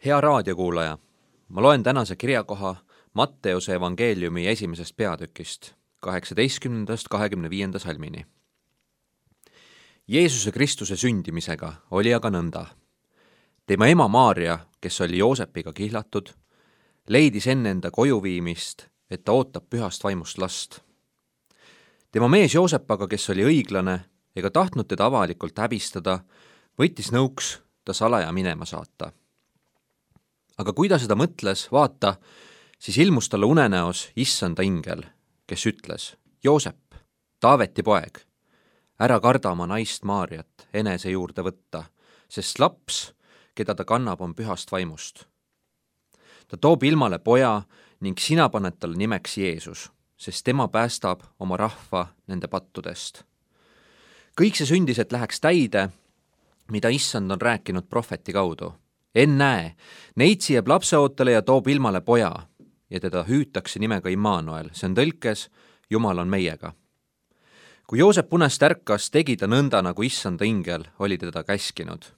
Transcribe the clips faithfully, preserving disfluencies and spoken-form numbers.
Hea raadiokuulaja, ma loen tänase kirjakoha Matteuse evangeeliumi esimesest peatükist, kaheksateistkümnendast kahekümne viienda salmini. Jeesuse Kristuse sündimisega oli aga nõnda. Tema ema Maarja, kes oli Joosepiga kihlatud, leidis enne enda koju viimist, et ta ootab pühast vaimust last. Tema mees Joosep aga, kes oli õiglane ega tahtnud teda avalikult häbistada, võttis nõuks ta salaja minema saata. Aga kui ta seda mõtles, vaata, siis ilmus talle unenäos issanda ingel, kes ütles: Joosep, Taaveti poeg, ära karda oma naist Maarjat enese juurde võtta, sest laps, keda ta kannab, on pühast vaimust. Ta toob ilmale poja ning sina paned talle nimeks Jeesus, sest tema päästab oma rahva nende pattudest. Kõik see sündis, et läheks täide, mida issand on rääkinud prohveti kaudu. Ennäe, neitsi jääb lapseootele ja toob ilmale poja ja teda hüütakse nimega Immanuel, see on tõlkes Jumal on meiega. Kui Joosep unest ärkas, tegi ta nõnda, nagu issanda ingel oli teda käskinud.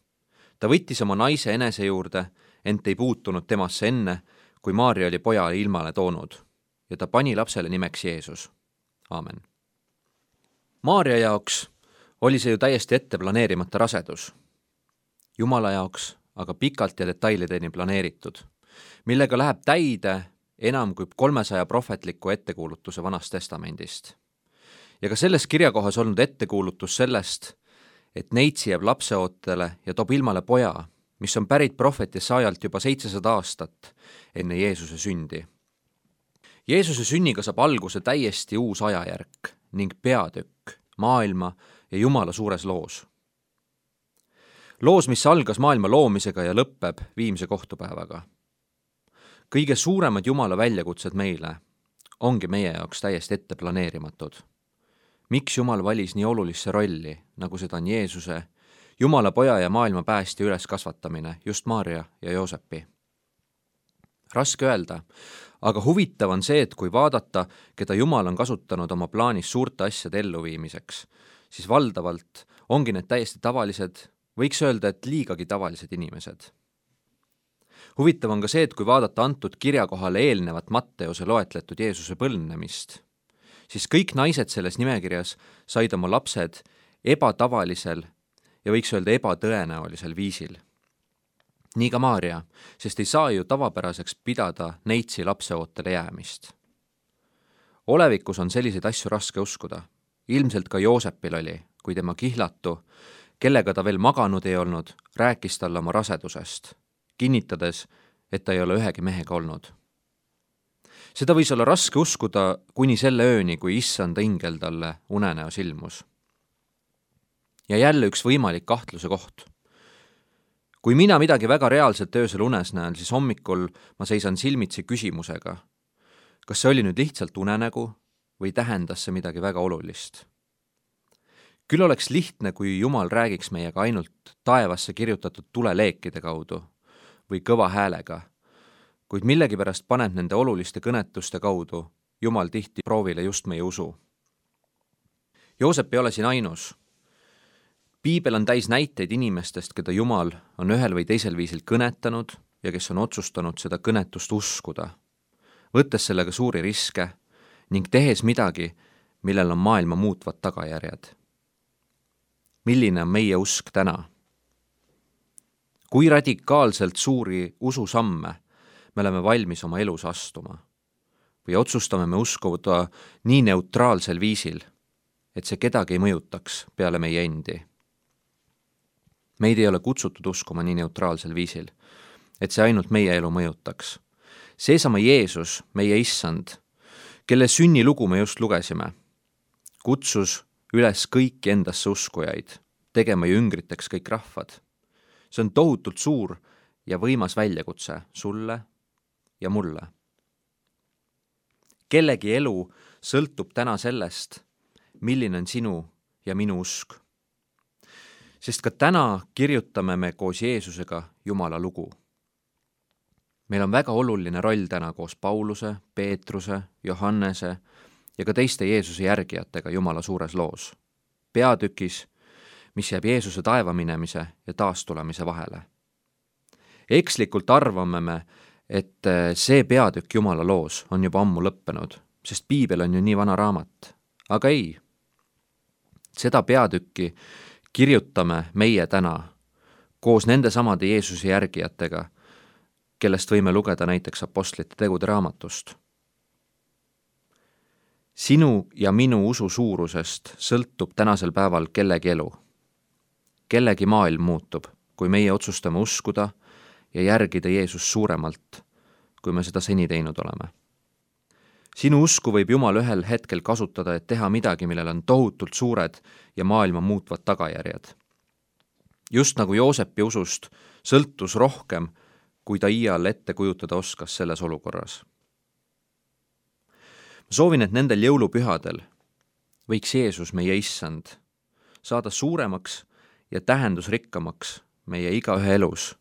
Ta võttis oma naise enese juurde, ent ei puutunud temasse enne, kui Maarja oli poja ilmale toonud ja ta pani lapsele nimeks Jeesus. Aamen. Maarja jaoks oli see ju täiesti ette planeerimata rasedus. Jumala jaoks aga pikalt ja detailideni planeeritud, millega läheb täide enam kui kolmesaja prohvetliku ettekuulutuse Vanast testamendist. Ja ka selles kirjakohas olnud ettekuulutus sellest, et neitsi jääb lapseootele ja toob ilmale poja, mis on pärit prohveti sajalt juba seitsesada aastat enne Jeesuse sündi. Jeesuse sünniga saab alguse täiesti uus ajajärk ning peatükk maailma ja Jumala suures loos. Loos, mis algas maailma loomisega ja lõppeb viimse kohtupäevaga. Kõige suuremad Jumala väljakutsed meile ongi meie jaoks täiesti ette planeerimatud. Miks Jumal valis nii olulisse rolli, nagu seda on Jeesuse, Jumala poja ja maailma päästja üles kasvatamine, just Maarja ja Joosepi? Raske öelda, aga huvitav on see, et kui vaadata, keda Jumal on kasutanud oma plaanis suurte asjade elluviimiseks, siis valdavalt ongi need täiesti tavalised, võiks öelda, et liigagi tavalised inimesed. Huvitav on ka see, et kui vaadata antud kirjakohale eelnevat Matteuse loetletud Jeesuse põlvnemist, siis kõik naised selles nimekirjas said oma lapsed ebatavalisel ja võiks öelda ebatõenäolisel viisil. Nii ka Maarja, sest ei saa ju tavapäraseks pidada neitsi lapseootele jäämist. Olevikus on selliseid asju raske uskuda. Ilmselt ka Joosepil oli, kui tema kihlatu, kellega ta veel maganud ei olnud, rääkis talle oma rasedusest, kinnitades, et ta ei ole ühegi mehega olnud. Seda võis olla raske uskuda kuni selle ööni, kui issanda ingel talle unenäos ilmus. Ja jälle üks võimalik kahtluse koht. Kui mina midagi väga reaalselt öösel unes näen, siis hommikul ma seisan silmitsi küsimusega, kas see oli nüüd lihtsalt unenägu või tähendas see midagi väga olulist. Küll oleks lihtne, kui Jumal räägiks meiega ainult taevasse kirjutatud tuleleekide kaudu või kõva häälega, kuid millegipärast paneb nende oluliste kõnetuste kaudu Jumal tihti proovile just meie usu. Joosep ei ole siin ainus. Piibel on täis näiteid inimestest, keda Jumal on ühel või teisel viisil kõnetanud ja kes on otsustanud seda kõnetust uskuda, võttes sellega suuri riske ning tehes midagi, millel on maailma muutvad tagajärjed. Milline on meie usk täna? Kui radikaalselt suuri ususamme me oleme valmis oma elus astuma? Või otsustame me uskuda nii neutraalsel viisil, et see kedagi ei mõjutaks peale meie endi? Meid ei ole kutsutud uskuma nii neutraalsel viisil, et see ainult meie elu mõjutaks. Seesama Jeesus, meie issand, kelle sünnilugu me just lugesime, kutsus üles kõiki endasse uskujaid, tegema jüngriteks kõik rahvad. See on tohutult suur ja võimas väljakutse sulle ja mulle. Kellegi elu sõltub täna sellest, milline on sinu ja minu usk. Sest ka täna kirjutame me koos Jeesusega Jumala lugu. Meil on väga oluline roll täna koos Pauluse, Peetruse, Johannese ja ka teiste Jeesuse järgijatega Jumala suures loos. Peatükis, mis jääb Jeesuse taeva minemise ja taastulemise vahele. Ekslikult arvame me, et see peatükk Jumala loos on juba ammu lõppenud, sest piibel on ju nii vana raamat. Aga ei. Seda peatükki kirjutame meie täna koos nende samade Jeesuse järgijatega, kellest võime lugeda näiteks apostlite tegude raamatust. Sinu ja minu usu suurusest sõltub tänasel päeval kellegi elu. Kellegi maailm muutub, kui meie otsustame uskuda ja järgida Jeesus suuremalt, kui me seda seni teinud oleme. Sinu usku võib Jumal ühel hetkel kasutada, et teha midagi, millel on tohutult suured ja maailma muutvad tagajärjed. Just nagu Joosepi usust sõltus rohkem, kui ta iial ette kujutada oskas selles olukorras. Ma soovin, et nendel jõulupühadel võiks Jeesus, meie issand, saada suuremaks ja tähendusrikkamaks meie igaühe elus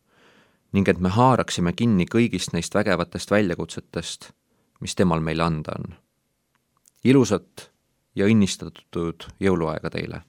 ning et me haaraksime kinni kõigist neist vägevatest väljakutsetest, mis temal meile anda on. Ilusat ja õnnistatud jõuluaega teile!